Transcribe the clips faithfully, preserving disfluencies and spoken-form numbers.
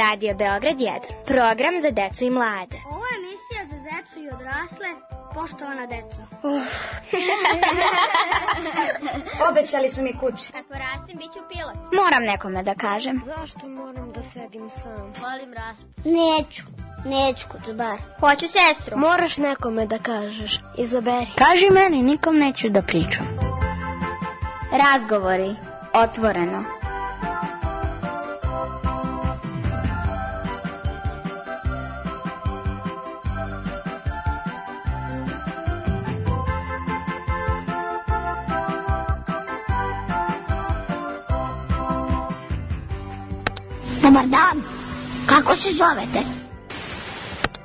Radio Beograd jedan, program za decu i mlade. Ovo je emisija za decu i odrasle, poštovana deco. Uh. Obećali su mi kuće. Kako rastim, bit ću pilot. Moram nekome da kažem. Zašto moram da sedim sam? Volim raspad. Neću, neću Kutubar. Hoću sestru. Moraš nekome da kažeš, izaberi. Kaži meni, nikom neću da pričam. Razgovori, otvoreno. Dobar dan, kako se zovete?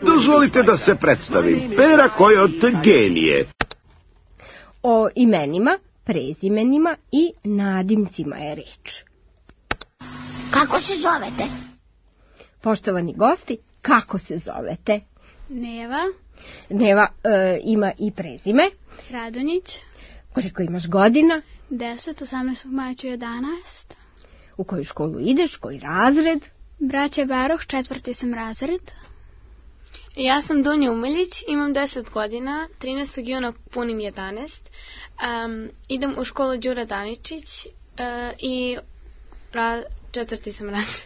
Dozvolite da se predstavim, Pera Kojot genije. O imenima, prezimenima i nadimcima je reč. Kako se zovete? Poštovani gosti, kako se zovete? Neva. Neva e, ima i prezime. Radonjić. Koliko imaš godina? deset, osamnaestog maja ću jedanaest. U koju školu ideš, koji razred? Braće Baroh, četvrti sam razred. Ja sam Dunja Umeljić, imam deset godina, trinaestog juna punim jedanaest. Um, idem u školu Đura Daničić uh, i ra, četvrti sam razred.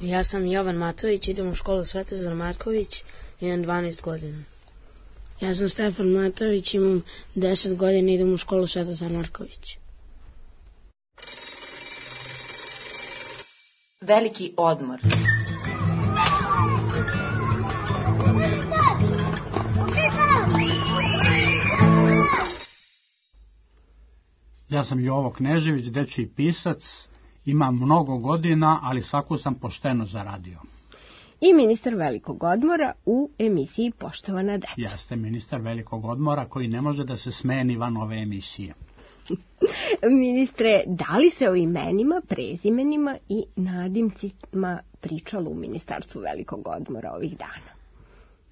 Ja sam Jovan Matović, idem u školu Svetozar Marković, imam dvanaest godina. Ja sam Stefan Matović, imam deset godina, idem u školu Svetozar Marković. Veliki odmor. Ja sam Jovo Knežević, dečiji pisac, imam mnogo godina, ali svaku sam pošteno zaradio. I ministar velikog odmora u emisiji Poštovana deca. Jeste ministar velikog odmora koji ne može da se smeni van ove emisije. Ministre, da li se o imenima, prezimenima i nadimcima pričalo u ministarstvu velikog odmora ovih dana?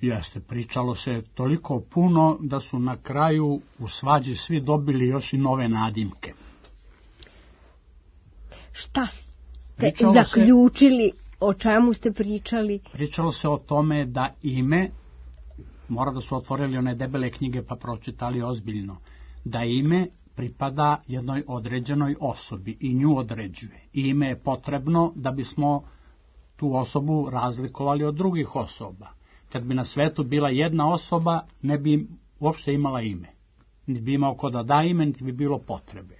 Jeste, pričalo se toliko puno da su na kraju u svađi svi dobili još i nove nadimke. Šta ste pričalo zaključili, se, o čemu ste pričali? Pričalo se o tome da ime, mora da su otvorili one debele knjige pa pročitali ozbiljno, da ime pripada jednoj određenoj osobi i nju određuje. I ime je potrebno da bismo tu osobu razlikovali od drugih osoba. Kad bi na svetu bila jedna osoba, ne bi uopšte imala ime. Niti bi imao ko da da ime, niti bi bilo potrebe.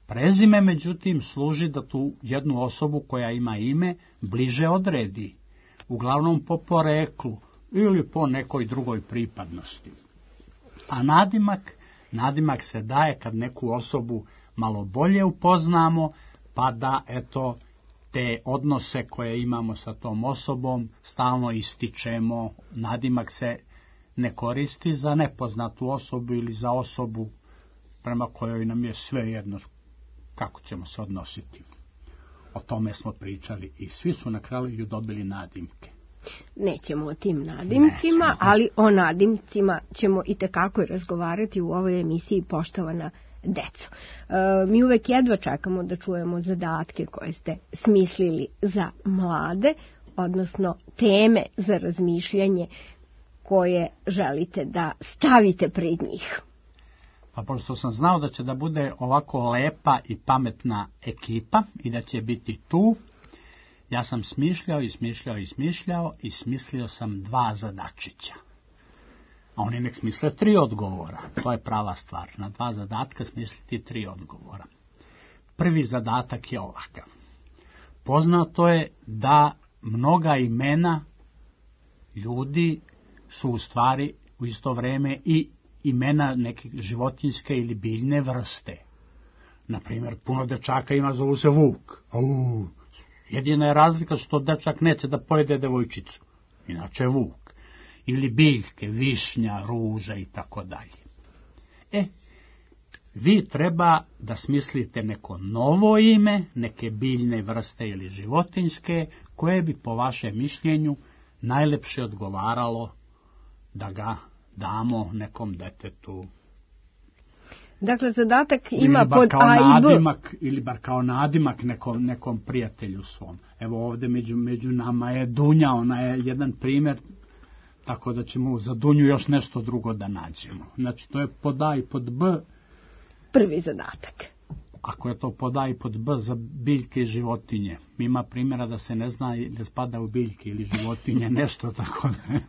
Prezime, međutim, služi da tu jednu osobu koja ima ime bliže odredi. Uglavnom po poreklu ili po nekoj drugoj pripadnosti. A nadimak, nadimak se daje kad neku osobu malo bolje upoznamo, pa da, eto, te odnose koje imamo sa tom osobom stalno ističemo. Nadimak se ne koristi za nepoznatu osobu ili za osobu prema kojoj nam je sve jedno kako ćemo se odnositi. O tome smo pričali i svi su na kraju dobili nadimke. Nećemo o tim nadimcima, Nećemo. ali o nadimcima ćemo i tekako razgovarati u ovoj emisiji Poštovana deco. E, mi uvek jedva čekamo da čujemo zadatke koje ste smislili za mlade, odnosno teme za razmišljanje koje želite da stavite pred njih. Pa pošto sam znao da će da bude ovako lepa i pametna ekipa i da će biti tu, ja sam smišljao i smišljao i smišljao i smislio sam dva zadačića. A oni nek smisle tri odgovora. To je prava stvar. Na dva zadatka smisliti tri odgovora. Prvi zadatak je ovakav. Poznato je da mnoga imena ljudi su u stvari u isto vreme i imena neke životinjske ili biljne vrste. Naprimjer, puno dečaka ima, zovu se Vuk. Au. Jedina je razlika što dečak neće da pojede devojčicu. Inače je Vuk. Ili biljke, višnja, ruža i tako dalje. E, vi treba da smislite neko novo ime, neke biljne vrste ili životinjske, koje bi po vašem mišljenju najlepše odgovaralo da ga damo nekom detetu. Dakle, zadatak ima ili bar pod kao A i B. nadimak, ili bar kao nadimak nekom, nekom prijatelju svom. Evo ovde među, među nama je Dunja, ona je jedan primjer, tako da ćemo za Dunju još nešto drugo da nađemo. Znači, to je pod A i pod B. Prvi zadatak. Ako je to pod A i pod B za biljke i životinje, ima primjera da se ne zna da spada u biljke ili životinje, nešto tako da...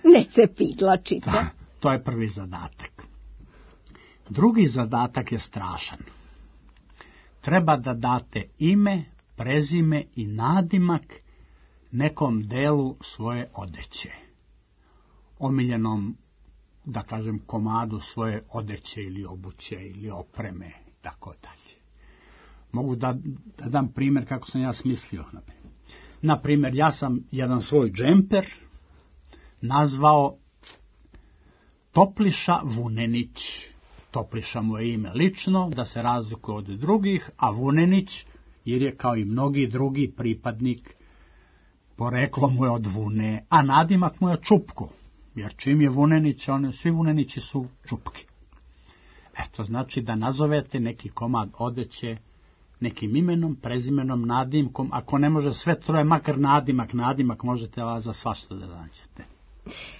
Ne cepidlačice. Da, to je prvi zadatak. Drugi zadatak je strašan. Treba da date ime, prezime i nadimak nekom delu svoje odeće. Omiljenom, da kažem, komadu svoje odeće ili obuće ili opreme, tako dalje. Mogu da, da dam primjer kako sam ja smislio. Na primjer, ja sam jedan svoj džemper nazvao Topliša Vunenić. Topliša mu je ime lično, da se razlikuje od drugih, a Vunenić, jer je kao i mnogi drugi pripadnik, poreklo mu je od Vune, a nadimak mu je Čupko, jer čim je Vunenić, one, svi Vunenići su Čupki. Eto, znači da nazovete neki komad odeće nekim imenom, prezimenom, nadimkom, ako ne može sve troje, makar nadimak, nadimak možete vas za svašta da nađete.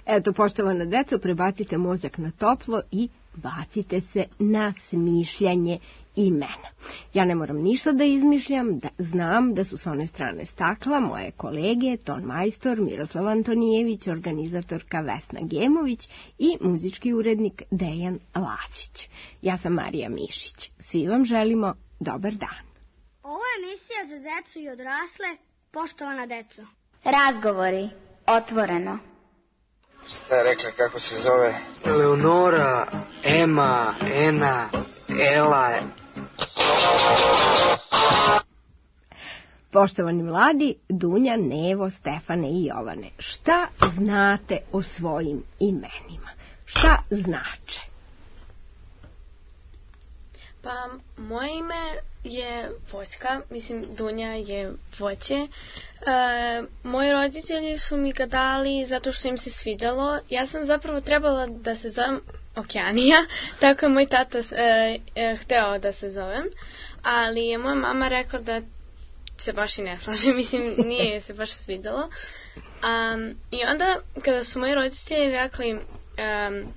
Eto, poštovana deco, prebacite mozak na toplo i bacite se na smišljanje imena. Ja ne moram ništa da izmišljam, da, znam da su s one strane stakla moje kolege, ton majstor Miroslav Antonijević, organizatorka Vesna Gemović i muzički urednik Dejan Lacić. Ja sam Marija Mišić. Svi vam želimo dobar dan. Ovo je emisija za decu i odrasle, poštovana deco. Razgovori, otvoreno. Šta je rekla, kako se zove? Eleonora, Ema, Ena, Ela. Poštovani mladi, Dunja, Nevo, Stefane i Jovane, šta znate o svojim imenima? Šta znače? Pa, moje ime je voćka, mislim Dunja je voće. E, moji roditelji su mi ga dali zato što im se svidelo. Ja sam zapravo trebala da se zovem Okeanija, tako je moj tata e, e, hteo da se zovem, ali je moja mama rekla da se baš i ne slaže, mislim nije se baš svidelo. Um, I onda kada su moji roditelji rekli um,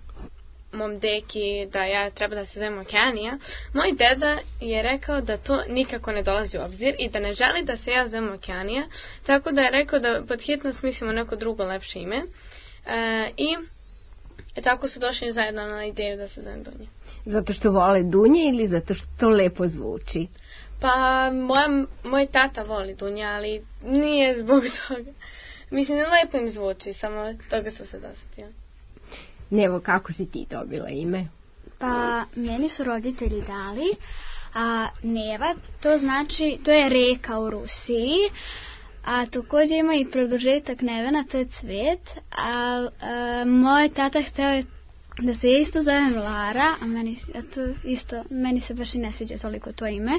mom deki da ja treba da se zovem Okeanija, moj deda je rekao da to nikako ne dolazi u obzir i da ne želi da se ja zovem Okeanija, tako da je rekao da pod hitno smislimo neko drugo lepše ime. E, I e, tako su došli zajedno na ideju da se zovem Dunja. Zato što vole Dunje ili zato što to lepo zvuči? Pa moja, moj tata voli Dunja, ali nije zbog toga. Mislim, lepo im zvuči, samo toga su se dosetili. Nevo, kako si ti dobila ime? Pa, meni su roditelji dali, a Neva, to znači, to je reka u Rusiji, a također ima i produžetak Nevena, to je cvet, a, a moj tata hteo da se isto zovem Lara, a meni, a to isto, meni se baš i ne sviđa toliko to ime,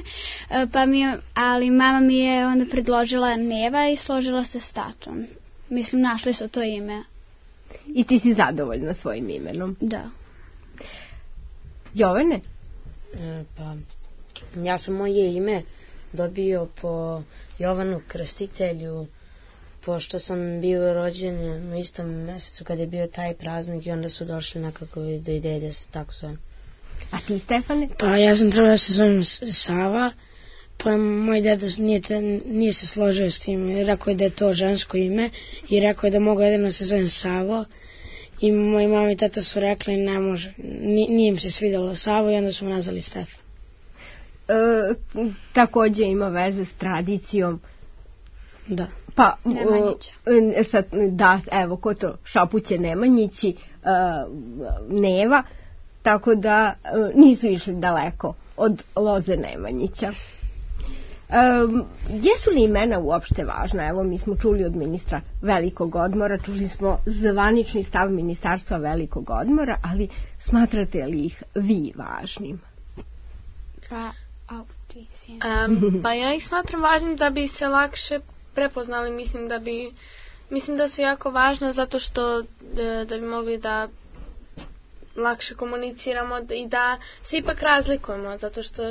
a, pa mi je, ali mama mi je onda predložila Neva i složila se s tatom. Mislim, našli su to ime. I ti si zadovoljna svojim imenom? Da. Jovane? E, pa, ja sam moje ime dobio po Jovanu Krstitelju, pošto sam bio rođen u istom mjesecu kad je bio taj praznik i onda su došli nekako do ideje da se tako zovem. A ti, Stefane? Pa ja sam trebao da se zovem Sava, pa moj deda nije, nije se složio s tim, rekao je da je to žensko ime i rekao je da mogu jedino se zovem Savo i moji mama i tata su rekli ne može, nije im se svidjelo Savo i onda su mu nazvali Stefan. E, također ima veze s tradicijom. Da. Pa, e, sad, da, evo, ko to, Šapuće Nemanjići, e, Neva, tako da e, nisu išli daleko od loze Nemanjića. Um, jesu li imena uopšte važna? Evo, mi smo čuli od ministra Velikog odmora, čuli smo zvanični stav ministarstva Velikog odmora, ali smatrate li ih vi važnim? Pa, au, ti um, pa ja ih smatram važnim da bi se lakše prepoznali, mislim da bi, mislim da su jako važna zato što da, da bi mogli da lakše komuniciramo i da se ipak razlikujemo, zato što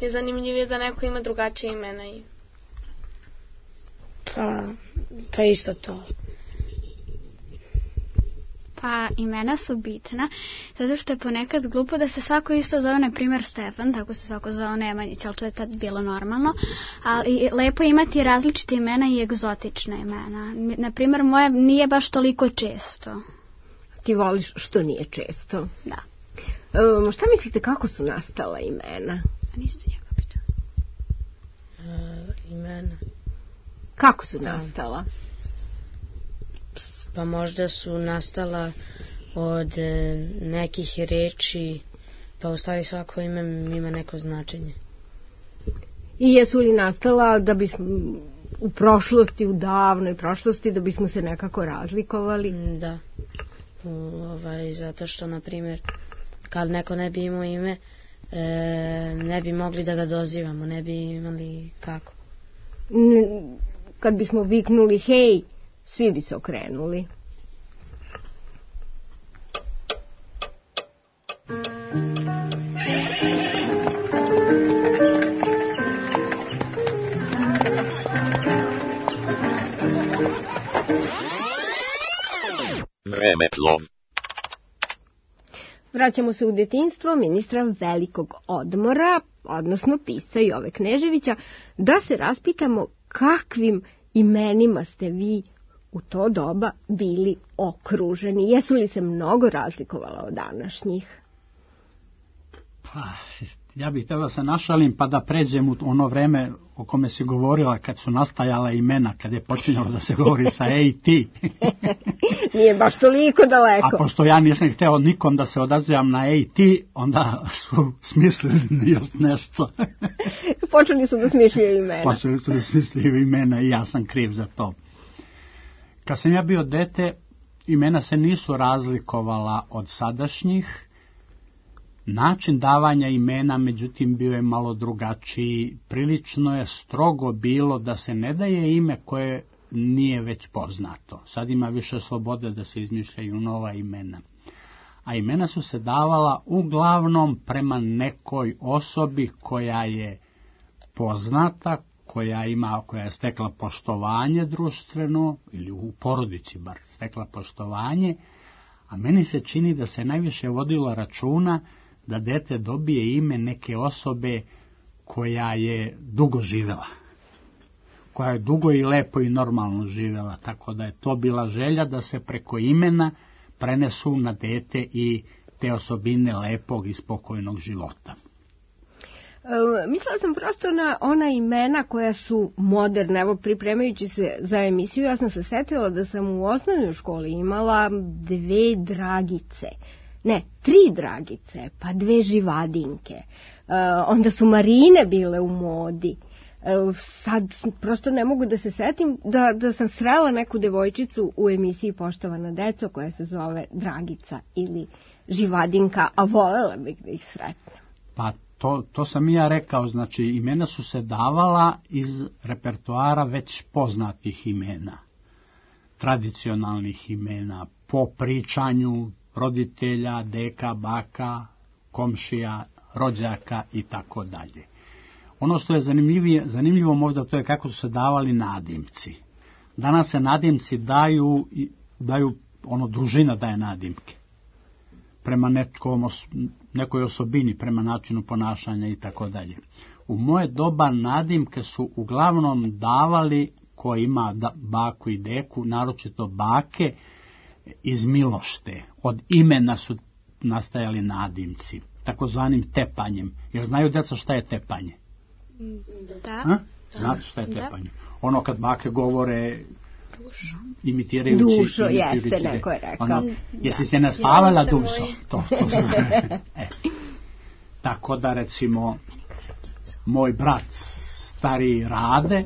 je zanimljivije da neko ima drugačije imena. I... Pa, pa isto to. Pa imena su bitna, zato što je ponekad glupo da se svako isto zove, na primjer Stefan, tako se svako zvao Nemanjić, ali to je tad bilo normalno, ali lepo imati različite imena i egzotične imena. Na primjer, moje nije baš toliko često. Ti voliš što nije često? Da. Um, šta mislite, kako su nastala imena? A niste njega pitali. Uh, imena. Kako su nastala? Pa možda su nastala od e, nekih reči, pa u stvari svako ime ima neko značenje. I jesu li nastala da bismo u prošlosti, u davnoj prošlosti, da bismo se nekako razlikovali? Da. U, ovaj, zato što, na primjer, kad neko ne bi imao ime, e, ne bi mogli da ga dozivamo, ne bi imali kako. N- kad bismo viknuli hej, svi bi se okrenuli. Vremeplov. Vraćamo se u detinjstvo ministra velikog odmora, odnosno pisca Jove Kneževića, da se raspitamo kakvim imenima ste vi u to doba bili okruženi. Jesu li se mnogo razlikovala od današnjih? Pa, ja bih htio da se našalim pa da pređem u ono vreme o kome si govorila kad su nastajala imena, kad je počinjalo da se govori sa e i ti. Nije baš toliko daleko. A pošto ja nisam hteo nikom da se odazivam na e i ti, onda su smislili još nešto. Počeli su da smišljaju imena. Počeli su da smišljaju imena i ja sam kriv za to. Kad sam ja bio dete, imena se nisu razlikovala od sadašnjih. Način davanja imena, međutim, bio je malo drugačiji. Prilično je strogo bilo da se ne daje ime koje nije već poznato. Sad ima više slobode da se izmišljaju nova imena. A imena su se davala uglavnom prema nekoj osobi koja je poznata, koja ima, koja je stekla poštovanje društveno, ili u porodici bar stekla poštovanje, a meni se čini da se najviše vodilo računa da dete dobije ime neke osobe koja je dugo živela, koja je dugo i lepo i normalno živela, tako da je to bila želja da se preko imena prenesu na dete i te osobine lepog i spokojnog života. E, mislila sam prosto na ona imena koja su moderna. Evo, pripremajući se za emisiju, ja sam se setila da sam u osnovnoj školi imala dve Dragice. Ne, tri Dragice, pa dve Živadinke. E, onda su Marine bile u modi. E, sad prosto ne mogu da se setim da, da sam srela neku devojčicu u emisiji Poštovana deco koja se zove Dragica ili Živadinka, a volela bih da ih sretnem. Pa to, to sam i ja rekao, znači imena su se davala iz repertoara već poznatih imena, tradicionalnih imena, po pričanju roditelja, deka, baka, komšija, rođaka i tako dalje. Ono što je zanimljivo možda to je kako su se davali nadimci. Danas se nadimci daju, daju ono družina daje nadimke. Prema nekom, nekoj osobini, prema načinu ponašanja i tako dalje. U moje doba nadimke su uglavnom davali ko ima da, baku i deku, naročito bake, iz milošte. Od imena su nastajali nadimci, takozvanim tepanjem. Jer znaju djeca šta je tepanje? Da. A? Znate šta je tepanje? Ono kad bake govore dušo. Imitirajući. Dušo, jeste, neko je rekao. Ono, jesi se naspavala dušo? To, to e. Tako da recimo moj brat stariji Rade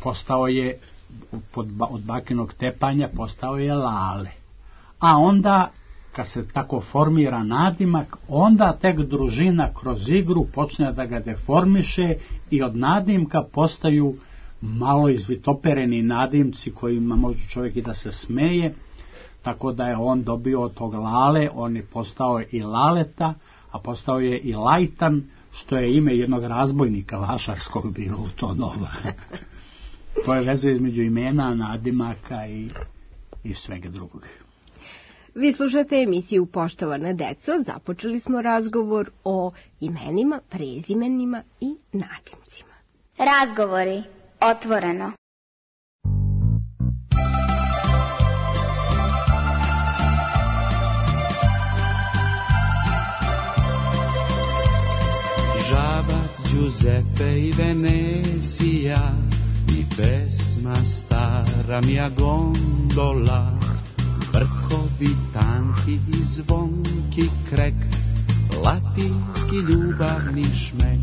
postao je pod, od bakinog tepanja postao je Lale. A onda kad se tako formira nadimak, onda tek družina kroz igru počne da ga deformiše i od nadimka postaju malo izvitopereni nadimci kojima može čovjek i da se smeje. tako da je on dobio od tog Lale, on je postao i Laleta, a postao je i Lajtan, što je ime jednog razbojnika vašarskog bilo u to doba. To je veza između imena, nadimaka i, i svega drugog. Vi slušate emisiju Poštovana deco. Započeli smo razgovor o imenima, prezimenima i nadimcima. Razgovori otvoreno. Žabac, Giuseppe i Venecija i pesma stara mia gondola, vrhovi tanki i zvonki krek, latinski ljubavni šmek.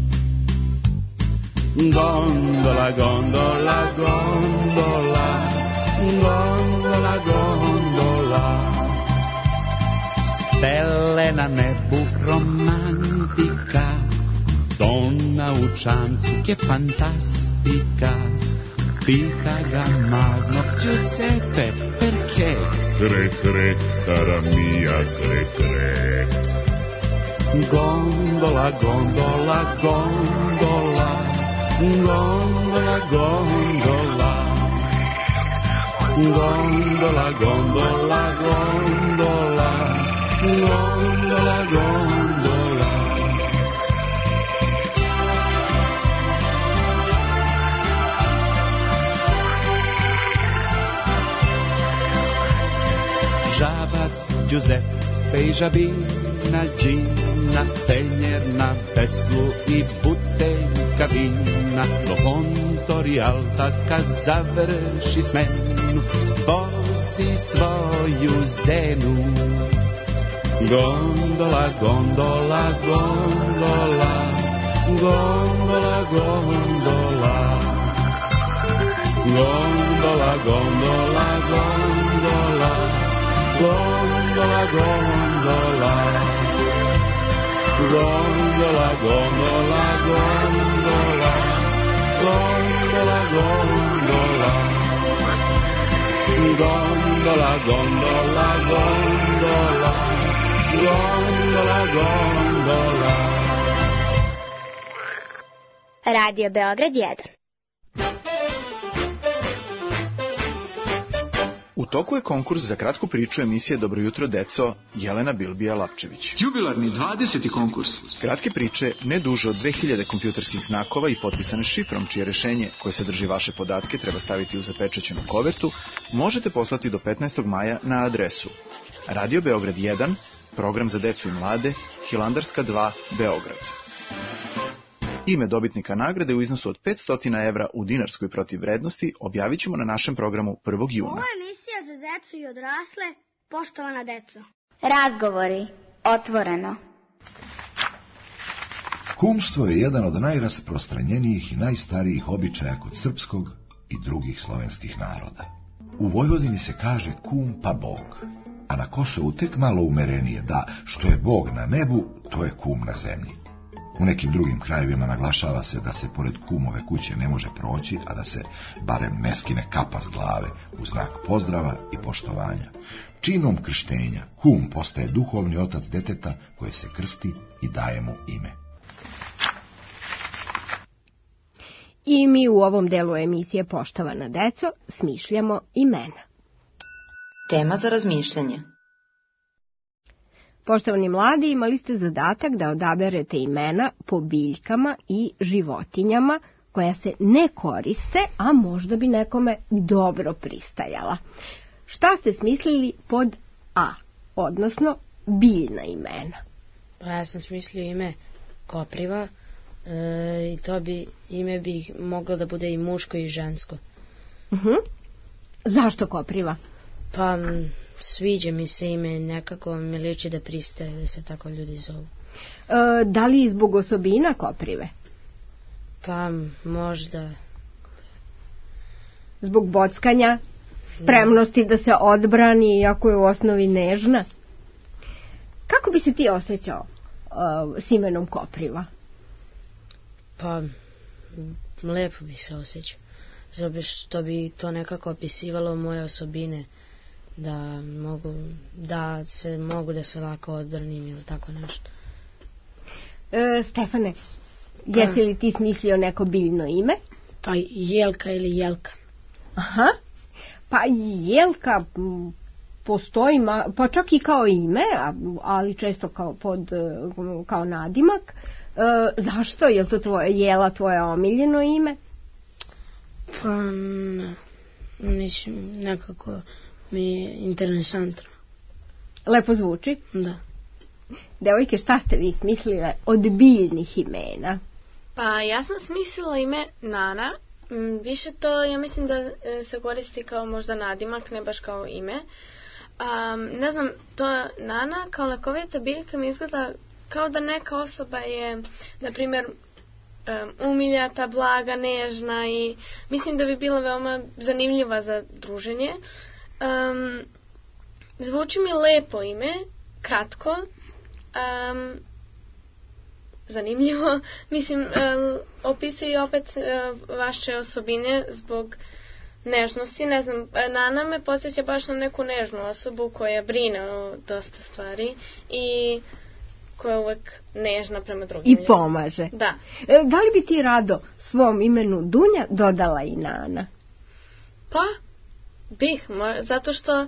Gondola, gondola, gondola, gondola, gondola, stelle na nebu, romantika, donna u čamcu, che fantastica. Pita ga mazno, Giuseppe, perché? Cre, cre, cara mia, cre, cre. Gondola, gondola, gondola, gondola, gondola, gondola, gondola, gondola, gondola, gondola. Žabac, Giuseppe i žabina, Gina, tenjer na veslu i buteljka vina. Do Pontorijalta kad završi smenu, vozi svoju zenu. Gondola, gondola, gondola, gondola, gondola, gondola, gondola, gondola, gondola, gondola, gondola, gondola, gondola, gondola, gondola, gondola, gondola, gondola, gondola, gondola. Radio Beograd jedan. U toku je konkurs za kratku priču emisije Dobro jutro deco Jelena Bilbija-Lapčević. Jubilarni dvadeseti konkurs. Kratke priče ne duže od dve hiljade kompjuterskih znakova i potpisane šifrom, čije rešenje koje sadrži vaše podatke treba staviti u zapečaćenu kovertu, možete poslati do petnaestog maja na adresu Radio Beograd jedan, program za decu i mlade, Hilandarska dva, Beograd. Ime dobitnika nagrade u iznosu od petsto evra u dinarskoj protivvrednosti objavit ćemo na našem programu prvog juna. Ovo je emisija za decu i odrasle, poštovana deco. Razgovori otvoreno. Kumstvo je jedan od najrasprostranjenijih i najstarijih običaja kod srpskog i drugih slovenskih naroda. U Vojvodini se kaže kum pa Bog, a na Kosovu tek malo umerenije da što je Bog na nebu, to je kum na zemlji. U nekim drugim krajevima naglašava se da se pored kumove kuće ne može proći, a da se barem ne skine kapa s glave u znak pozdrava i poštovanja. Činom krštenja kum postaje duhovni otac deteta koje se krsti i daje mu ime. I mi u ovom delu emisije Poštovana deco smišljamo imena. Tema za razmišljanje. Poštovani mladi, imali ste zadatak da odaberete imena po biljkama i životinjama koja se ne koriste, a možda bi nekome dobro pristajala. Šta ste smislili pod A, odnosno biljna imena? Pa ja sam smislio ime kopriva e, i to bi ime bi moglo da bude i muško i žensko. Uh-huh. Zašto kopriva? Pa sviđa mi se ime, nekako mi liči da pristaje da se tako ljudi zovu. E, da li zbog osobina koprive? Pa možda. Zbog bockanja, spremnosti da se odbrani iako je u osnovi nežna? Kako bi se ti osjećao uh, s imenom kopriva? Pa lepo bi se osjećao, zato što bi to nekako opisivalo moje osobine da mogu da se mogu da se lako odbranim ili tako nešto. E, Stefane, jesi li ti smislio neko biljno ime? Pa Jelka ili Jelka. Aha, pa Jelka postoji, pa čak i kao ime, ali često kao, pod, kao nadimak. E, zašto? Je li to tvoje, Jela tvoje omiljeno ime? Pa ne, mislim, nekako mi je interesantno. Lepo zvuči? Da. Devojke, šta ste vi smislile od biljnih imena? Pa ja sam smislila ime Nana. Više to, ja mislim da se koristi kao možda nadimak, ne baš kao ime. Um, ne znam, to Nana kao lekovita biljka mi izgleda kao da neka osoba je, na primjer, um, umiljata, blaga, nežna i mislim da bi bila veoma zanimljiva za druženje. Um, zvuči mi lepo ime, kratko, um, zanimljivo. Mislim, um, opisuje opet uh, vaše osobine zbog nežnosti. Ne znam, Nana me podsjeća baš na neku nežnu osobu koja brine o dosta stvari i koja je uvek nežna prema drugim. I pomaže. Da. E, da li bi ti rado svom imenu Dunja dodala i Nana? Pa, bih, zato što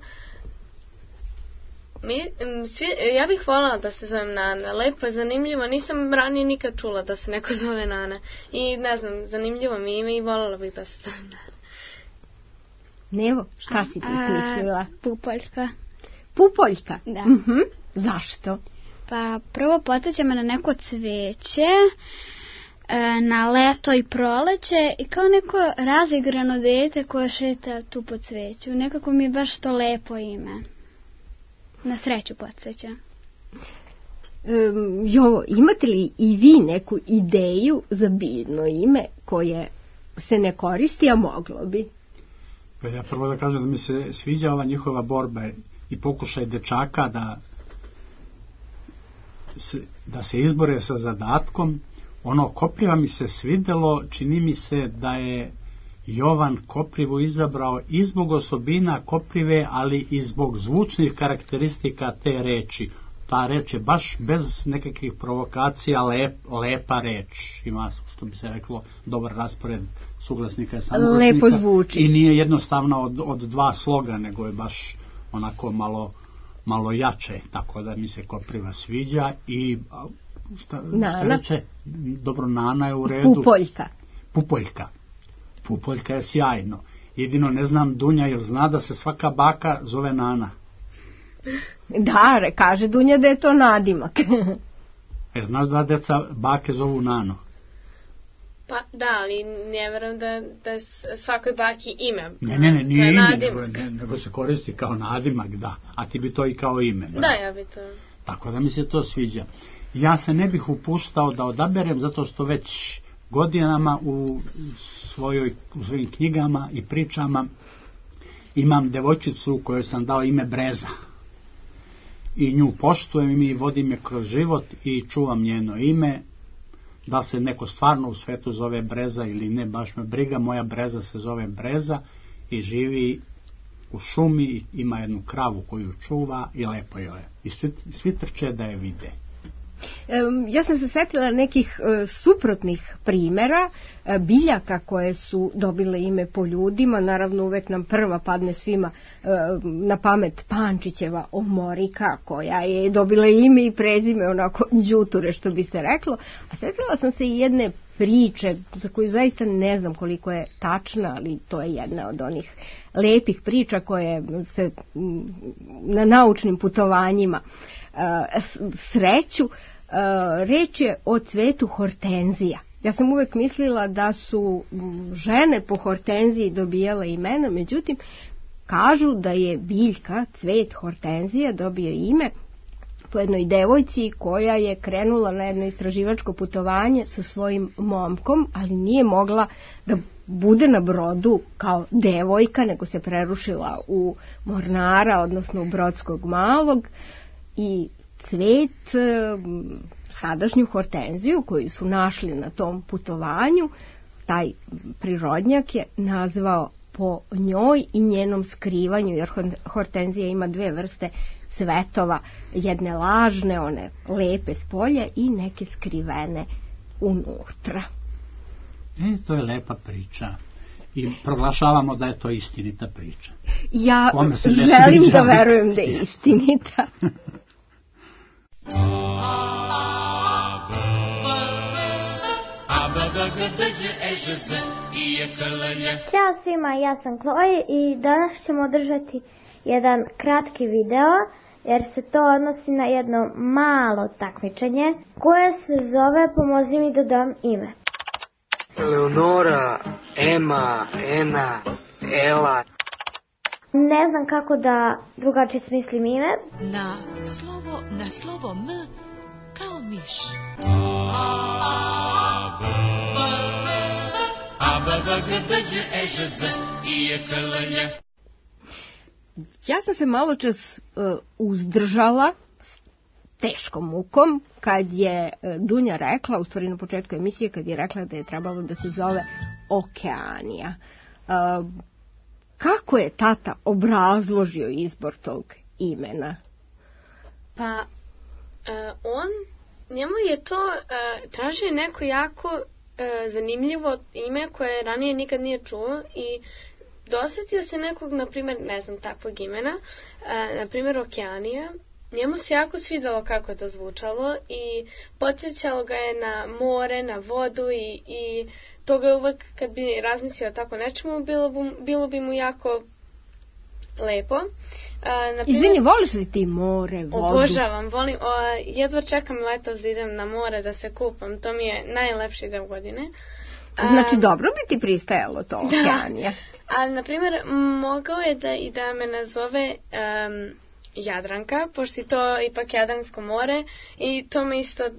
mi, svi, ja bih voljela da se zovem Nana. Lepo je, zanimljivo. Nisam ranije nikad čula da se neko zove Nana. I ne znam, zanimljivo mi ime i voljela bih da se zove Nana. Nevo, šta si ti smislila? Pupoljka. Pupoljka? Da. Uh-huh. Zašto? Pa prvo podsjeća me na neko cveće, na leto i proleće i kao neko razigrano dete koje šeta tu po cveću. Nekako mi je baš to lepo ime. Na sreću podsjeća. Um, Jovo, imate li i vi neku ideju za biljno ime koje se ne koristi, a moglo bi? Pa ja prvo da kažem da mi se sviđa ova njihova borba i pokušaj dečaka da se, da se izbore sa zadatkom. Ono Kopriva mi se svidelo, čini mi se da je Jovan Koprivu izabrao i zbog osobina Koprive, ali i zbog zvučnih karakteristika te reči. Ta reč je baš bez nekakvih provokacija lep, lepa reč. Ima, što bi se reklo, dobar raspored suglasnika i samoglasnika. Lepo zvuči. I nije jednostavno od, od dva sloga, nego je baš onako malo, malo jače. Tako da mi se Kopriva sviđa i šta, šta reče? Dobro, Nana je u redu. Pupoljka. Pupoljka. Pupoljka je sjajno. Jedino ne znam, Dunja, jel zna da se svaka baka zove Nana? Da, kaže Dunja da je to nadimak. E, znaš da deca bake zovu Nano? Pa da, ali ne verujem da, da svakoj baki ime. Ne, ne, ne, nije ime, nego, ne, nego se koristi kao nadimak, da. A ti bi to i kao ime. Da, da ja bi to. Tako da mi se to sviđa. Ja se ne bih upuštao da odaberem, zato što već godinama u, svojoj, u svojim knjigama i pričama imam devojčicu kojoj sam dao ime Breza. I nju poštujem i vodim je kroz život i čuvam njeno ime. Da se neko stvarno u svetu zove Breza ili ne, baš me briga, moja Breza se zove Breza i živi u šumi, ima jednu kravu koju čuva i lepo joj je. I svi, svi trče da je vide. Ja sam se setila nekih uh, suprotnih primjera uh, biljaka koje su dobile ime po ljudima. Naravno uvek nam prva padne svima uh, na pamet Pančićeva omorika koja je dobila ime i prezime onako đuture što bi se reklo. A setila sam se i jedne priče za koju zaista ne znam koliko je tačna, ali to je jedna od onih lepih priča koje se m, na naučnim putovanjima uh, sreću. Uh, reč je o cvetu hortenzija. Ja sam uvek mislila da su žene po hortenziji dobijale imena, međutim kažu da je biljka, cvet hortenzija dobio ime po jednoj devojci koja je krenula na jedno istraživačko putovanje sa svojim momkom, ali nije mogla da bude na brodu kao devojka, nego se prerušila u mornara, odnosno u Brodskog malog, i cvet, sadašnju hortenziju koju su našli na tom putovanju, taj prirodnjak je nazvao po njoj i njenom skrivanju, jer hortenzija ima dve vrste cvetova, jedne lažne, one lepe s polja i neke skrivene unutra. E, to je lepa priča. I proglašavamo da je to istinita priča. Ja želim da verujem da je istinita. Ćao svima, ja sam Chloe i danas ćemo održati jedan kratki video jer se to odnosi na jedno malo takmičenje koje se zove Pomozi mi da dam ime. Eleonora, Ema, Ena, Ela. Ne znam kako da drugačije smislim ime. Na slovo, na slovo M kao miš. Ja sam se malo čas uh, uzdržala s teškom mukom kad je uh, Dunja rekla, u stvari na početku emisije, kad je rekla da je trebalo da se zove Okeanija. Uh, kako je tata obrazložio izbor tog imena? Pa, uh, on, njemu je to, uh, tražio neko jako uh, zanimljivo ime koje ranije nikad nije čuo i dosetio se nekog, na primjer, ne znam, takvog imena, uh, na primjer Okeanija. Njemu se jako svidalo kako je to zvučalo i podsjećalo ga je na more, na vodu i, i to ga uvek, kad bi razmislio tako nečemu, bilo, bilo bi mu jako lepo. Uh, Izvini, voliš li ti more, vodu? Obožavam, volim, o, jedva čekam letos da idem na more, da se kupam, to mi je najlepši deo godine. Znači, dobro bi ti pristajalo to Okeanija. Da, ali, na primjer, mogao je da, i da me nazove um, Jadranka, pošto je to ipak Jadransko more i to, me isto, uh,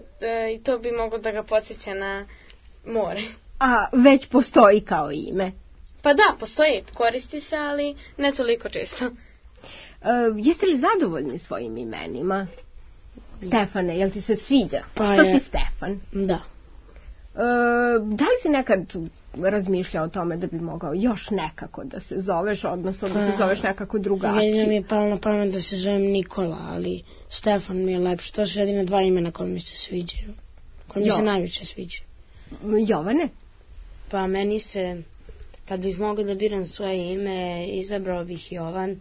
i to bi moglo da ga podsjeća na more. A već postoji kao ime? Pa da, postoji, koristi se, ali ne toliko često. Uh, jeste li zadovoljni svojim imenima? Ja. Stefane, jel ti se sviđa? Pa Što je. si Stefan? Da. Uh, da li si nekad razmišljao o tome da bi mogao još nekako da se zoveš, odnosno da se zoveš nekako drugačije? Jedino mi je palo na pamet da se zovem Nikola, ali Stefan mi je lepše. To su jedine dva imena koje mi se sviđaju. Koje mi se najviše sviđaju. Jovane? Pa meni se, kad bih mogao da biram svoje ime, izabrao bih Jovan,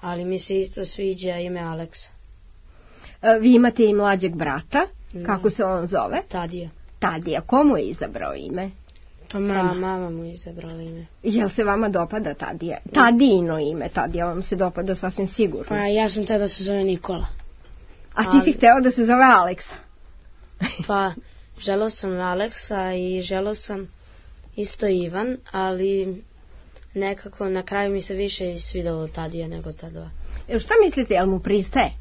ali mi se isto sviđa ime Aleksa. Uh, vi imate i mlađeg brata, da. Kako se on zove? Tadija. Tadija, komu je izabrao ime? Pa mama. Pa mama mu je izabrala ime. Jel se vama dopada Tadija? Tadijino ime, Tadija vam se dopada sasvim sigurno. Pa ja sam hteo da se zove Nikola. A ti ali... si hteo da se zove Aleksa? Pa želeo sam Aleksa i želeo sam isto Ivan, ali nekako na kraju mi se više svidalo Tadija nego ta dva. E, šta mislite, jel mu pristaje?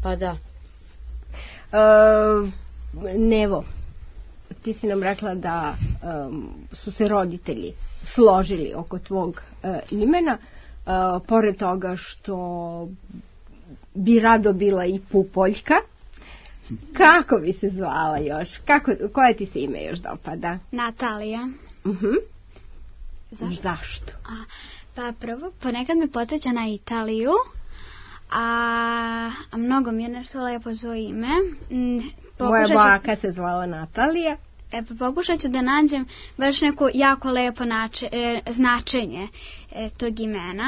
Pa da. Uh, Nevo, ti si nam rekla da um, su se roditelji složili oko tvog uh, imena, uh, pored toga što bi rado bila i Pupoljka. Kako bi se zvala još? Kako, koje ti se ime još dopada? Natalija. Uh-huh. Zašto? Zašto? A, pa prvo, ponekad me podsjeća na Italiju, a, a mnogo mi je nešto lepo zove ime. Moja baka se zvala Natalija. E, pa pokušat ću da nađem baš neko jako lepo nače, e, značenje e, tog imena,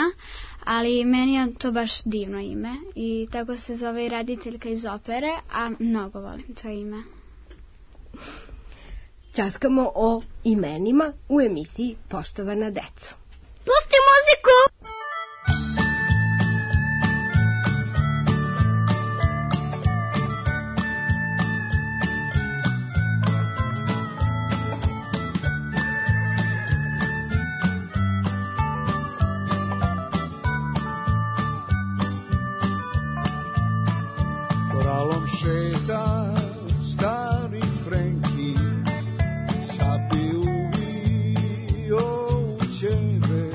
ali meni je to baš divno ime i tako se zove i rediteljka iz opere, a mnogo volim to ime. Ćaskamo o imenima u emisiji Poštovana deco. Pusti muziku! Koralom šeta stari Frenki, sapi uvio u ćebe,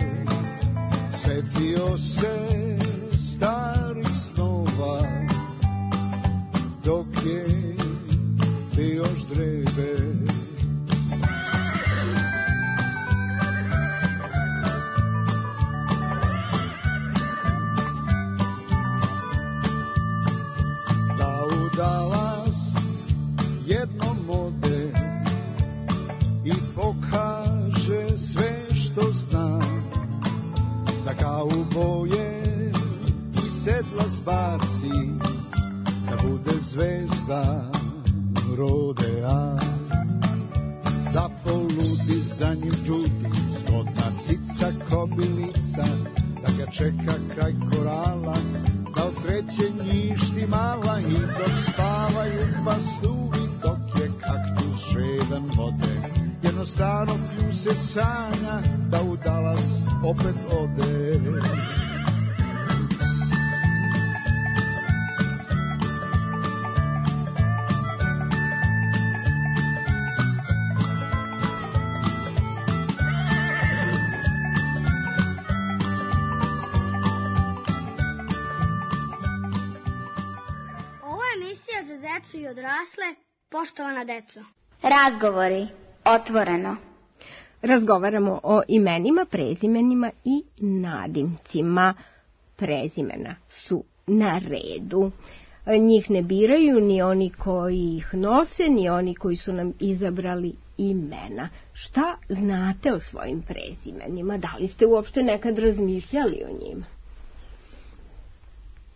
setio se starih snova, dok je bio ždrebe. zvezda rodea, da poludi za njim čudi, zgodna cica kobilica, da ga čeka kraj korala, da od sreće njišti mala i dok spavaju pastuvi, dok je kaktus žedan vode, jednostavno plju se sanja da u Dalas opet ode. I odrasle, poštovana deco. Razgovori, otvoreno. Razgovaramo o imenima, prezimenima i nadimcima. Prezimena su na redu. Njih ne biraju ni oni koji ih nose, ni oni koji su nam izabrali imena. Šta znate o svojim prezimenima? Da li ste uopšte nekad razmišljali o njima?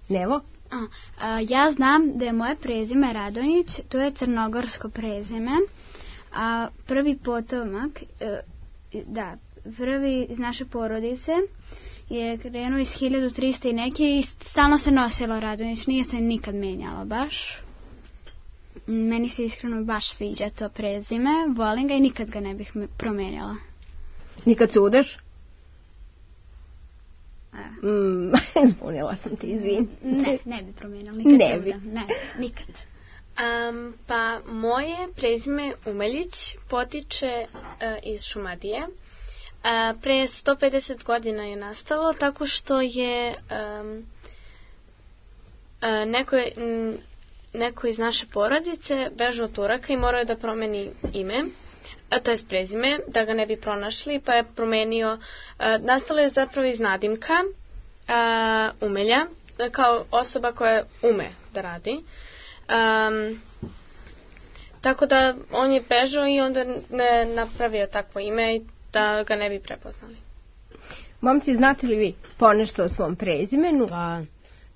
Nevo? A, a, ja znam da je moje prezime Radonjić, to je crnogorsko prezime, a prvi potomak, e, da, prvi iz naše porodice je krenuo iz hiljadu trista i neke i stalno se nosilo Radonjić, nije se nikad menjalo baš. Meni se iskreno baš sviđa to prezime, volim ga i nikad ga ne bih promenjala. Nikad se udeš? Mm, zbunila sam ti, izvin. Ne, ne bi promenila, nikad ne bi. Ne, nikad. Um, pa moje prezime Umeljić potiče uh, iz Šumadije. Uh, pre sto pedeset godina je nastalo tako što je um, uh, neko, m, neko iz naše porodice bežao od Turaka i morao je da promeni ime, a to je prezime, da ga ne bi pronašli, pa je promenio, uh, nastalo je zapravo iz nadimka uh, Umelja, kao osoba koja ume da radi. Um, tako da on je bežao i onda ne napravio takvo ime da ga ne bi prepoznali. Momci, znate li vi ponešto o svom prezimenu? Pa,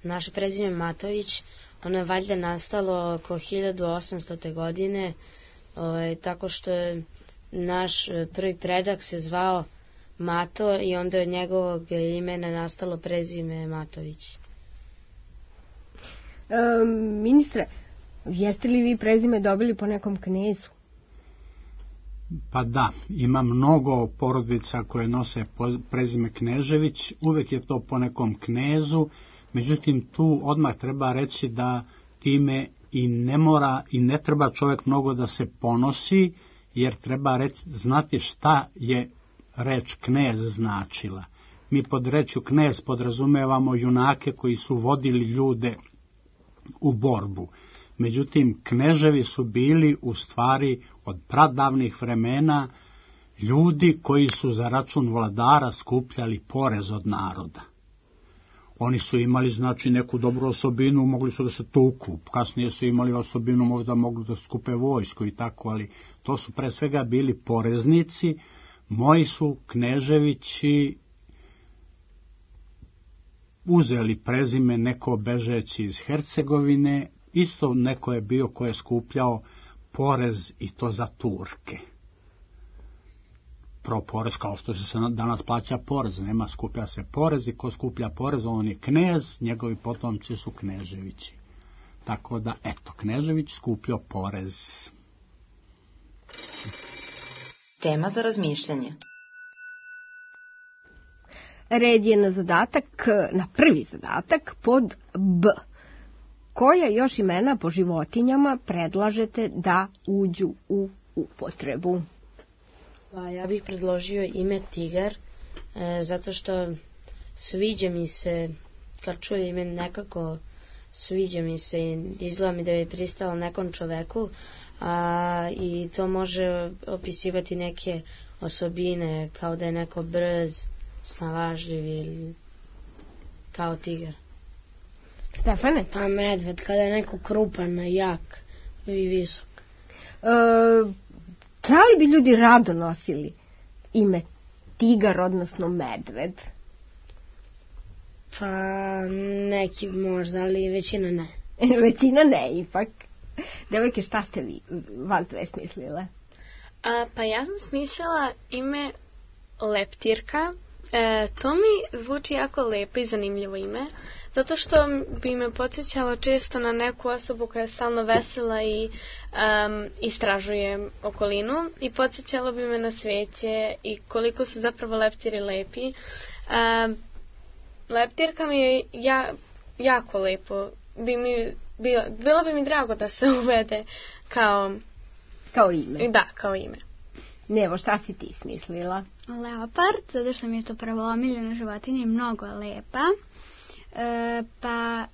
naše prezime Matović, ono je valjda nastalo oko hiljadu osamstote godine, ovaj, tako što je naš prvi predak se zvao Mato i onda od njegovog imena nastalo prezime Matović. E, ministre, jeste li vi prezime dobili po nekom knezu? Pa da, ima mnogo porodica koje nose prezime Knežević, uvek je to po nekom knezu, međutim tu odmah treba reći da time i ne mora i ne treba čovjek mnogo da se ponosi, jer treba reći, znati šta je reč knez značila. Mi pod rečju knez podrazumevamo junake koji su vodili ljude u borbu. Međutim, kneževi su bili u stvari od pradavnih vremena ljudi koji su za račun vladara skupljali porez od naroda. Oni su imali, znači, neku dobru osobinu, mogli su da se tuku, kasnije su imali osobinu, možda mogli da skupe vojsku i tako, ali to su pre svega bili poreznici. Moji su Kneževići uzeli prezime neko bežeći iz Hercegovine, isto neko je bio ko je skupljao porez i to za Turke. Pro porez, kao što se danas plaća porez, nema, skuplja se porez i ko skuplja porez, on je knez, njegovi potomci su Kneževići. Tako da, eto, Knežević skupljao porez. Tema za razmišljanje. Red je na zadatak, na prvi zadatak pod B. Koja još imena po životinjama predlažete da uđu u upotrebu? Pa ja bih predložio ime tigar, e, zato što sviđa mi se, kad čujem ime nekako sviđa mi se i izgleda mi da je pristalo nekom čoveku, a, i to može opisivati neke osobine, kao da je neko brz, snalažljiv ili kao tigar. Stefane? Pa medved, kada je neko krupan, jak i visok. E, da li bi ljudi rado nosili ime tigar, odnosno medved? Pa neki možda, ali većina ne. Većina ne, ipak. Devojke, šta ste vi vas dve smislile? A, pa ja sam smislila ime Leptirka. E, to mi zvuči jako lepo i zanimljivo ime, zato što bi me podsjećalo često na neku osobu koja je stalno vesela i um, istražuje okolinu i podsjećalo bi me na cveće i koliko su zapravo leptiri lepi. Um, leptirka mi je ja, jako lepo. Bi mi, bilo, bilo bi mi drago da se uvede kao... Kao ime. Da, kao ime. Nevo, šta si ti smislila? Leopard, zato što mi je to prvo omiljena životinja i mnogo lepa. E, pa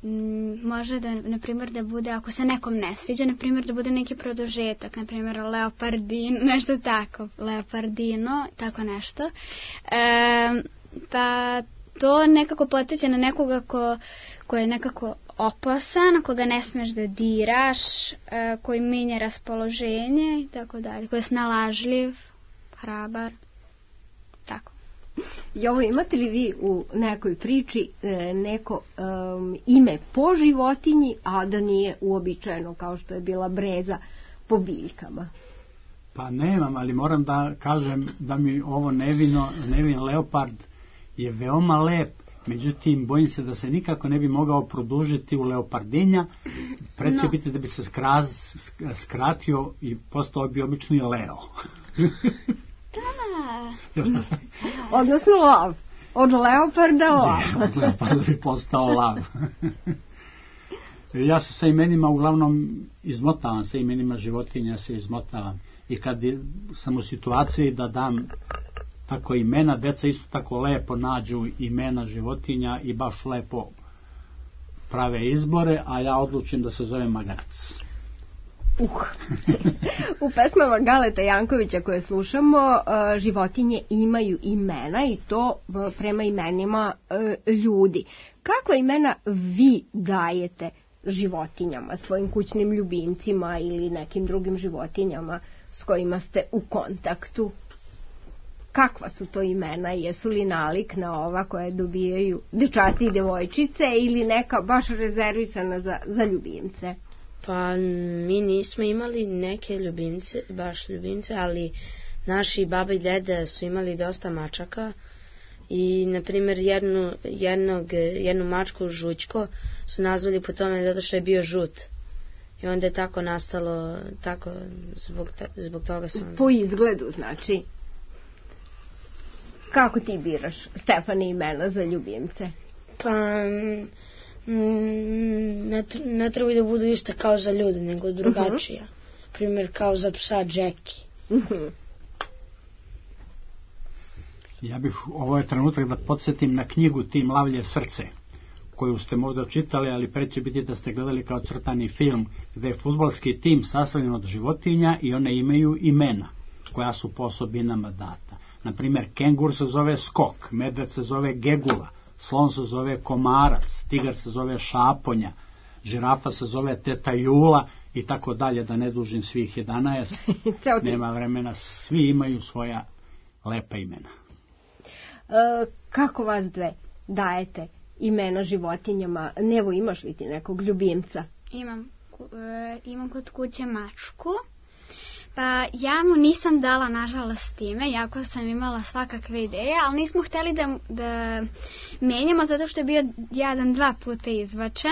m, može da, na primjer, da bude, ako se nekom ne sviđa, na primjer, da bude neki produžetak, na primjer, Leopardin, nešto tako, Leopardino, tako nešto. E, pa to nekako potiče na nekoga ko, ko je nekako opasan, koga ne smeš da diraš, e, koji menja raspoloženje i tako dalje, koji je snalažljiv, hrabar, tako. Jovo, imate li vi u nekoj priči e, neko um, ime po životinji, a da nije uobičajeno kao što je bila breza po biljkama? Pa nemam, ali moram da kažem da mi ovo nevino, nevin leopard je veoma lep, međutim bojim se da se nikako ne bi mogao produžiti u leopardinja, pred će no. biti da bi se skra, skratio i postao bi obični Leo. Da. Odnosno lav. Od leoparda lav. Ne, od leoparda bi postao lav. Ja se sa imenima uglavnom izmotavam, sa imenima životinja se izmotavam. I kad sam u situaciji da dam tako imena, deca isto tako lepo nađu imena životinja i baš lepo prave izbore, a ja odlučim da se zove Magarac. Uh. U pesmama Galeta Jankovića koje slušamo, životinje imaju imena i to prema imenima ljudi. Kakva imena vi dajete životinjama, svojim kućnim ljubimcima ili nekim drugim životinjama s kojima ste u kontaktu? Kakva su to imena? Jesu li nalik na ova koje dobijaju dečaci i devojčice ili neka baš rezervisana za, za ljubimce? Pa mi nismo imali neke ljubimce, baš ljubimce, ali naši baba i dede su imali dosta mačaka i, na primjer, jednu, jednog, jednu mačku Žućko su nazvali po tome zato što je bio žut. I onda je tako nastalo, tako, zbog, zbog toga su... Po izgledu, znači. Kako ti biraš, Stefane, imena za ljubimce? Pa... Ne, ne trebaju da budu iste kao za ljude, nego drugačija. Uh-huh. Primjer, kao za psa Jackie. Uh-huh. Ja bih ovo je trenutak da podsjetim na knjigu Tim Lavlje srce, koju ste možda čitali, ali pre će biti da ste gledali kao crtani film, gde je fudbalski tim sastavljen od životinja i one imaju imena, koja su po osobinama data. Naprimjer, kengur se zove Skok, medved se zove Gegula, slon se zove Komarac, tigar se zove Šaponja, žirafa se zove Teta Jula i tako dalje, da ne dužim svih jedanaest. Nema vremena, svi imaju svoja lepa imena. E, kako vas dve dajete imena životinjama? Nevo, imaš li ti nekog ljubimca? Imam, e, imam kod kuće mačku. Pa ja mu nisam dala, nažalost, ime, jako sam imala svakakve ideje, ali nismo hteli da, da menjamo zato što je bio jedan, dva puta izbačen,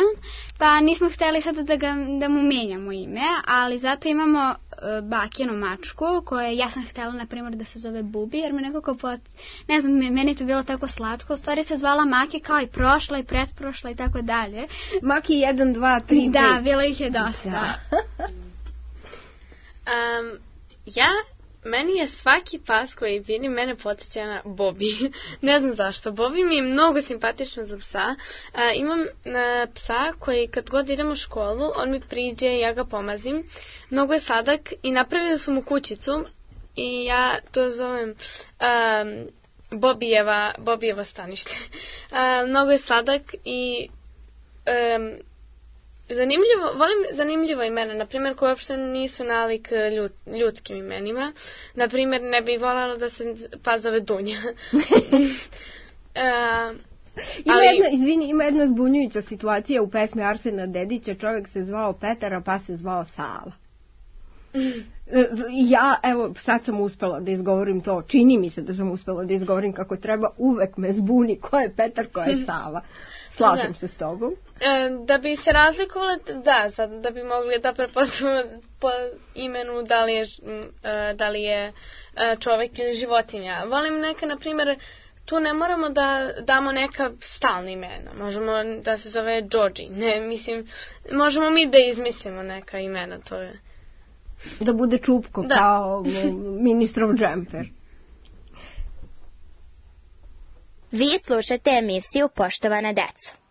pa nismo hteli sada da, ga, da mu menjamo ime, ali zato imamo uh, bakinu mačku, koje ja sam htela, na primjer, da se zove Bubi, jer me nekako, pot, ne znam, meni to bilo tako slatko, u stvari se zvala Maki kao i prošla i pretprošla i tako dalje. Maki jedan, dva, tri, da, bilo ih je dosta. Da. Um, ja, meni je svaki pas koji vidim mene podsjeća na Bobby. Ne znam zašto. Bobby mi je mnogo simpatično za psa. Uh, imam uh, psa koji kad god idem u školu, on mi priđe i ja ga pomazim. Mnogo je sladak i napravili su mu kućicu i ja to zovem um, Bobijeva, Bobijevo stanište. Uh, mnogo je sladak i... Um, Zanimljivo, volim zanimljivo imena, na primjer, koje uopšte nisu nalik ljud, ljudskim imenima. Na primjer, ne bih voljela da se pas zove Dunja. uh, Ima Ali... jedna, izvini, ima jedna zbunjujuća situacija u pesmi Arsena Dedića, čovjek se zvao Petara pa se zvao Sava. Ja, evo, sad sam uspela da izgovorim to, čini mi se da sam uspela da izgovorim kako treba, uvek me zbuni ko je Petar, ko je Sava. Slažem da. se s tobom. E, da bi se razlikovali, da, sad, da bi mogli da prepoznamo po imenu da li je, da li je čovjek ili životinja. Volim neka, na primjer, tu ne moramo da damo neka stalna imena. Možemo da se zove Georgie. Ne, mislim, možemo mi da izmislimo neka imena, to je. Da bude Čupko, da. Kao ministrov džemper. Vi slušate emisiju Poštovana deco.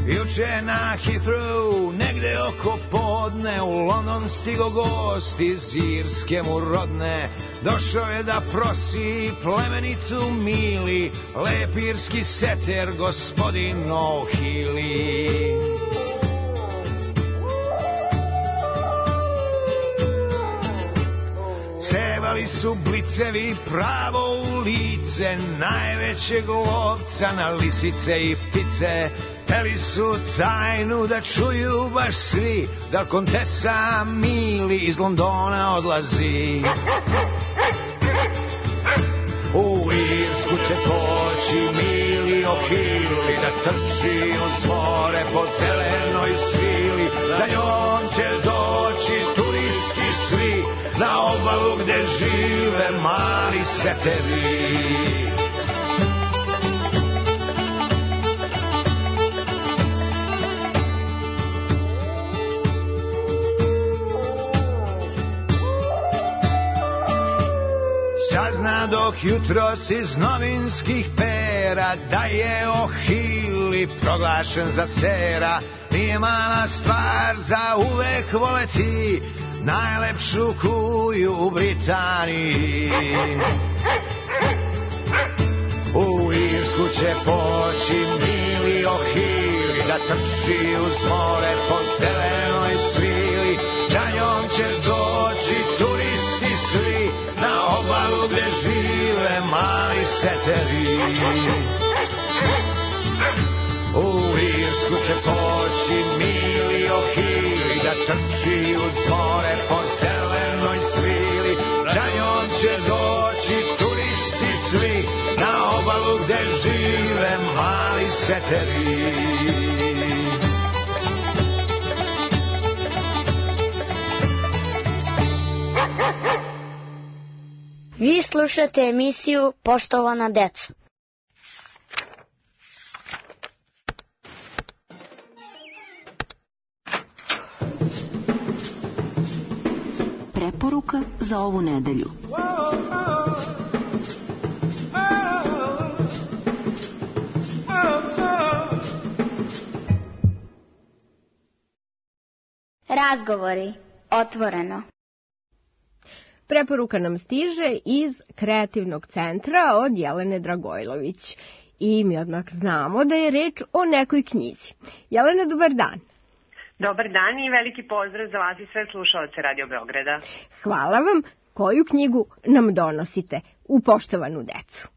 Juče na Heathrow, negde oko podne, u London stigo gost iz Irske mu rodne. Došao je da prosi plemenitu mili, lep irski seter, gospodin O'Healy. Cevali su blicevi pravo u lice, najvećeg lovca na lisice i ptice. Hteli su tajnu da čuju baš svi, da kontesa Mili iz Londona odlazi. U Irsku će poći Mili O'Healy, da trči uz more po zelenoj svili. Za njom će doći turisti svi, na obalu gde žive mali seteri. Sazna dok jutros iz novinskih pera da je O'Healy proglašen za sera. Nije mala stvar za uvek voleti najlepšu kuju u Britaniji. U Irsku će poći Mili O'Healy, da trči uz more po zelenoj svili. Za njom će doći turisti svi, na obalu gde žive mali seteri. U Irsku će poći Mili O'Healy, da trči uz more po zelenoj svili. Za njom će doći turisti svi, na obalu gde žive mali seteri. Vi slušate emisiju Poštovana deco. Preporuka za ovu nedelju. Razgovori otvoreno. Preporuka nam stiže iz Kreativnog centra od Jelene Dragojlović. I mi odmah znamo da je reč o nekoj knjizi. Jelena, dobar dan. Dobar dan i veliki pozdrav za vas i sve slušaoce Radio Beograda. Hvala vam. Koju knjigu nam donosite u Poštovanu decu?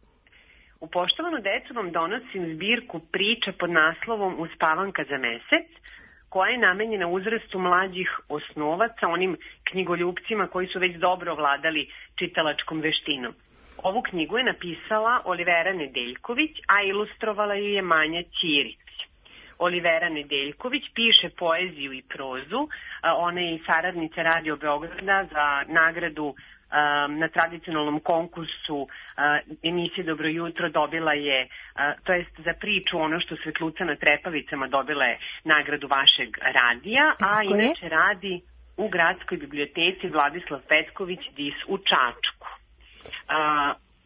U Poštovanu decu vam donosim zbirku priča pod naslovom Uspavanka za mesec, koja je namenjena uzrastu mlađih osnovaca, onim knjigoljupcima koji su već dobro vladali čitalačkom veštinom. Ovu knjigu je napisala Olivera Nedeljković, a ilustrovala ju je Manja Ćirić. Olivera Nedeljković piše poeziju i prozu, ona je i saradnica Radio Beograda za nagradu na tradicionalnom konkursu emisije Dobro jutro dobila je, to jest za priču Ono što svetluca na trepavicama dobila je nagradu vašeg radija, a inače radi u Gradskoj biblioteci Vladislav Petković Dis u Čačku.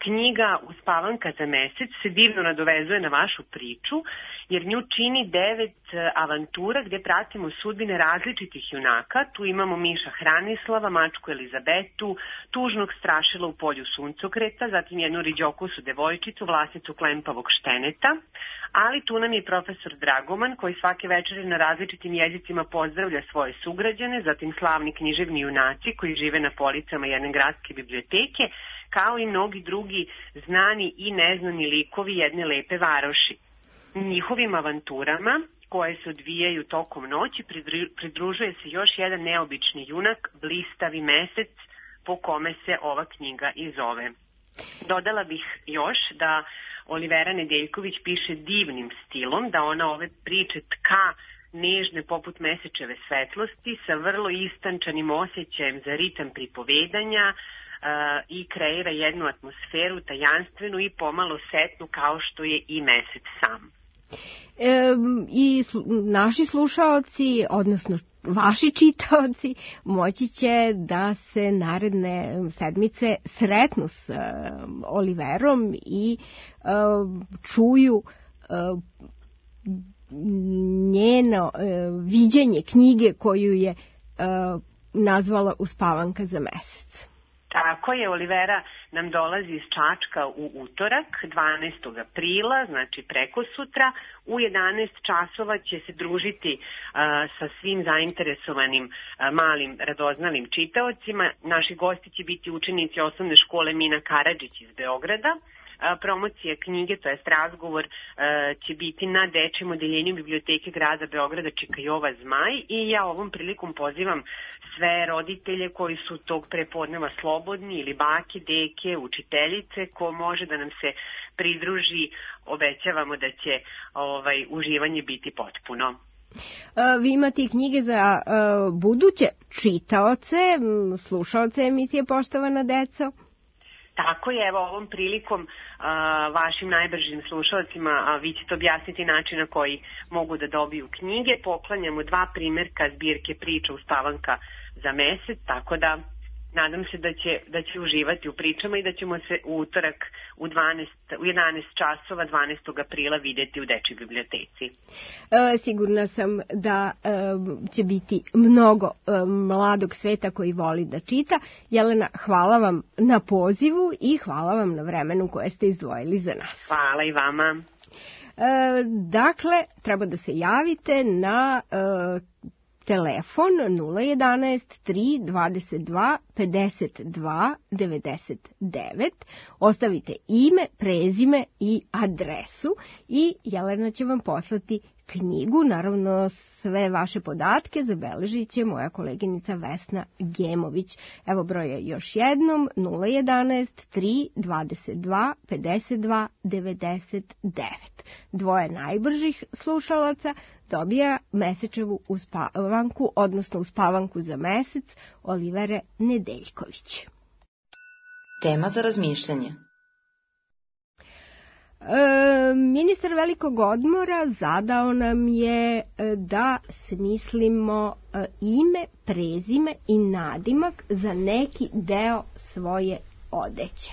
Knjiga Uspavanka za mesec se divno nadovezuje na vašu priču, jer nju čini devet avantura gde pratimo sudbine različitih junaka. Tu imamo Miša Hranislava, mačku Elizabetu, tužnog strašila u polju suncokreta, zatim jednu riđokosu devojčicu, vlasnicu klempavog šteneta, ali tu nam je profesor Dragoman koji svake večeri na različitim jezicima pozdravlja svoje sugrađane, zatim slavni književni junaci koji žive na policama jedne gradske biblioteke, kao i mnogi drugi znani i neznani likovi jedne lepe varoši. Njihovim avanturama, koje se odvijaju tokom noći, pridružuje se još jedan neobični junak, Blistavi mesec, po kome se ova knjiga i zove. Dodala bih još da Olivera Nedeljković piše divnim stilom, da ona ove priče tka nežne poput mesečeve svetlosti sa vrlo istančanim osjećajem za ritam pripovedanja uh, i kreira jednu atmosferu tajanstvenu i pomalo setnu kao što je i mesec sam. E, i sl naši slušaoci, odnosno vaši čitaoci, moći će da se naredne sedmice sretnu s uh, Oliverom i uh, čuju uh, njeno uh, viđenje knjige koju je uh, nazvala Uspavanka za mesec. Tako je, Olivera nam dolazi iz Čačka u utorak, dvanaestog aprila, znači preko sutra. U jedanaest časova će se družiti uh, sa svim zainteresovanim uh, malim radoznavim čitaocima. Naši gosti će biti učenici osnovne škole Mina Karadžić iz Beograda. Promocija knjige, to jest razgovor, će biti na dečjem odeljenju biblioteke grada Beograda Čikajova Zmaj i ja ovom prilikom pozivam sve roditelje koji su tog prepodneva slobodni ili bake, deke, učiteljice, ko može da nam se pridruži, obećavamo da će ovaj, uživanje biti potpuno. Vi imate knjige za uh, buduće čitaoce, slušaoce emisije Poštovana deco? Tako je, evo ovom prilikom uh, vašim najbržim slušalcima, a vi ćete objasniti način na koji mogu da dobiju knjige. Poklanjamo dva primjerka zbirke priča Uspavanka za mesec, tako da nadam se da će, da će uživati u pričama i da ćemo se u utorak u, dvanaest, u jedanaest časova dvanaestog aprila vidjeti u dečjoj biblioteci. E, sigurna sam da e, će biti mnogo e, mladog sveta koji voli da čita. Jelena, hvala vam na pozivu i hvala vam na vremenu koje ste izdvojili za nas. Hvala i vama. E, dakle, treba da se javite na e, telefon nula jedanaest tri dvadeset dva pedeset dva devedeset devet. Ostavite ime, prezime i adresu i Jelena će vam poslati knjigu. Naravno, sve vaše podatke zabeležit će moja koleginica Vesna Gemović. Evo broje još jednom nula jedanaest tri dvadeset dva pedeset dva devedeset devet. Dvoje najbržih slušalaca dobija mesečevu uspavanku, odnosno uspavanku za mesec Olivere Nedeljković. Tema za razmišljanje. E, ministar velikog odmora zadao nam je da smislimo ime, prezime i nadimak za neki deo svoje odeće.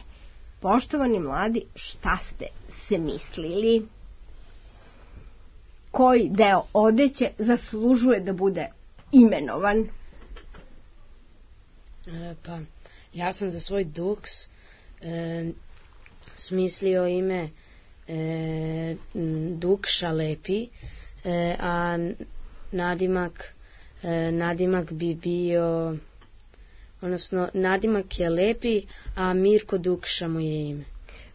Poštovani mladi, šta ste se mislili? Koji deo odeće zaslužuje da bude imenovan? E, pa, ja sam za svoj duks e, smislio ime e, Dukša Lepi, e, a nadimak, e, nadimak bi bio, odnosno nadimak je Lepi, a Mirko Dukša mu je ime.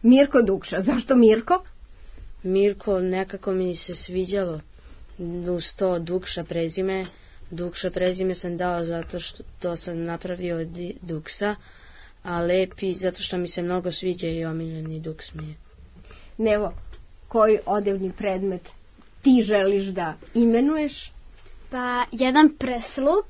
Mirko Dukša, zašto Mirko? Mirko nekako mi se sviđalo uz to Dukša prezime. Dukša prezime sam dao zato što to sam napravio od Duksa, a Lepi zato što mi se mnogo sviđa i omiljeni Duks mi je. Nevo, koji odevni predmet ti želiš da imenuješ? Pa jedan presluk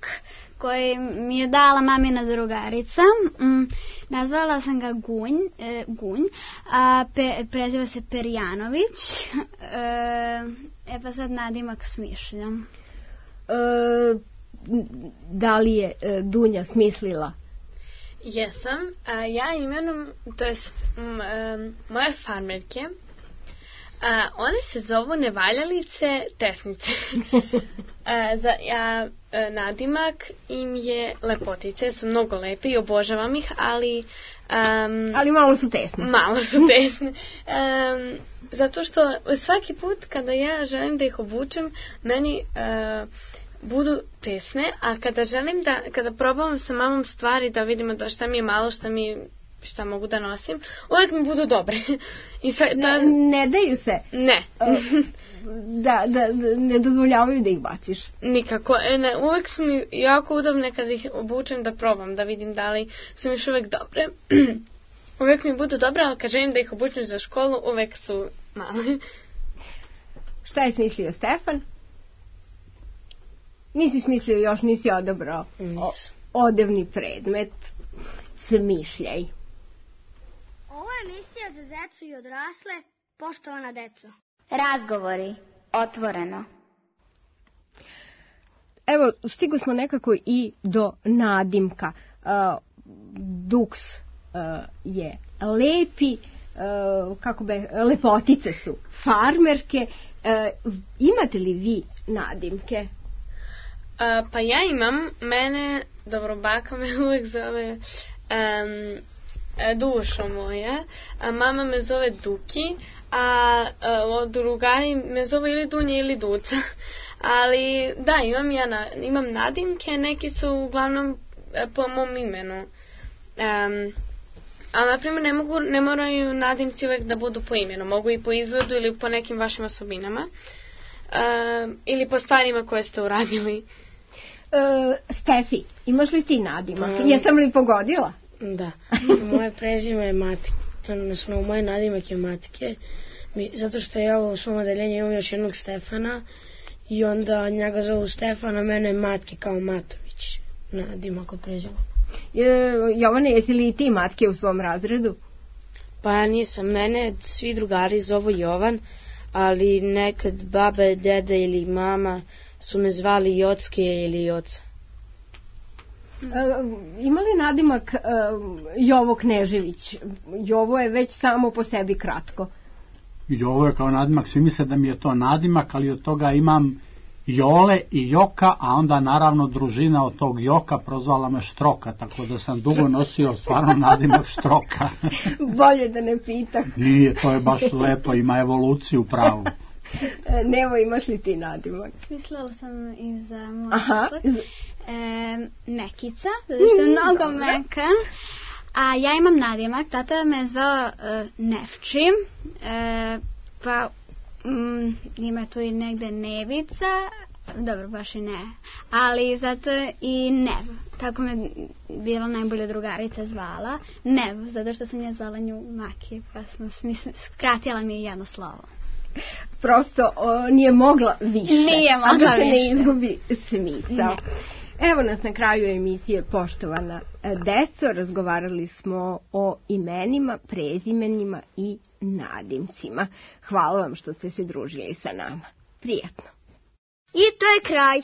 koji mi je dala mamina drugarica. Mm, nazvala sam ga Gunj, e, Gunj a pe, preziva se Perjanović. E, e pa sad nadimak smišljam. E, da li je e, Dunja smislila? Jesam. A, ja imenom, to jest m, um, moje farmerke, a, one se zovu nevaljalice tesnice. a, za, ja, a, nadimak im je lepotice, su mnogo lepe i obožavam ih, ali Um, ali malo su tesne. Malo su tesne. Um, zato što svaki put kada ja želim da ih obučem, meni uh, budu tesne, a kada želim da, kada probavam sa mamom stvari da vidimo da šta mi je malo, šta mi šta mogu da nosim, uvijek mi budu dobre. I sve, da, ne, ne daju se. Ne. da, da, da ne dozvoljavaju da ih baciš. Nikako. E, ne, uvijek su mi jako udobne kada ih obučem da probam, da vidim da li su mi još uvijek dobre. Uvijek mi budu dobre, ali kad želim da ih obučem za školu, uvijek su male. Šta je smislio Stefan? Nisi smislio još, nisi odabrao o, odevni predmet. Smišljaj. Ovo je emisija za decu i odrasle, poštovana deco. Razgovori, otvoreno. Evo, stigo smo nekako i do nadimka. Uh, duks uh, je lepi, uh, kako be, lepotice su farmerke. Uh, imate li vi nadimke? Uh, pa ja imam, mene, dobro, baka me uvijek zove um, Dušo moja, a mama me zove Duki, a uh, drugari me zove ili Dunja ili Duca. Ali da, imam ja na, imam nadimke, neki su uglavnom po mom imenu. Um, ali, na primjer, ne, mogu, ne moraju nadimci uvijek da budu po imenu, mogu i po izgledu ili po nekim vašim osobinama. Uh, ili po stvarima koje ste uradili. Uh, Stefi, imaš li ti nadimak? Um, Jesam li pogodila? Da. Moje prezime je Matike. Odnosno, moj nadimak je Matike. Zato što ja u svom odeljenju imam još jednog Stefana i onda njega zovu Stefana, mene Matke kao Matović. Nadimak od prezime. Je, Jovane, jesi li i ti Matke u svom razredu? Pa ja nisam. Mene svi drugari zovu Jovan, ali nekad baba, deda ili mama su me zvali Jocke ili Joca. Uh, ima li nadimak uh, Jovo Knežević? Jovo je već samo po sebi kratko. Jovo je kao nadimak, svi misle da mi je to nadimak, ali od toga imam Jole i Joka, a onda naravno družina od tog Joka prozvala me Štroka, tako da sam dugo nosio stvarno nadimak Štroka. Bolje da ne pitam. Nije, to je baš lepo, ima evoluciju pravu. Nevo, imaš li ti nadimak? Mislila sam i za moj nadimak. E, mekica, zato što je mnogo mekan. A ja imam nadimak, tata me je zvao uh, Nevči, e, pa mm, ima tu i negde Nevica, dobro, baš i ne, ali zato i Nev, tako me bila najbolja drugarica zvala, Nev, zato što sam ja zvala nju Maki, pa smo mislim, skratila mi jedno slovo. Prosto o, nije mogla više, nije mogla a da se više. ne izgubi smisao. Evo nas na kraju emisije, poštovana deco, razgovarali smo o imenima, prezimenima i nadimcima. Hvala vam što ste se družili sa nama. Prijetno. I to je kraj.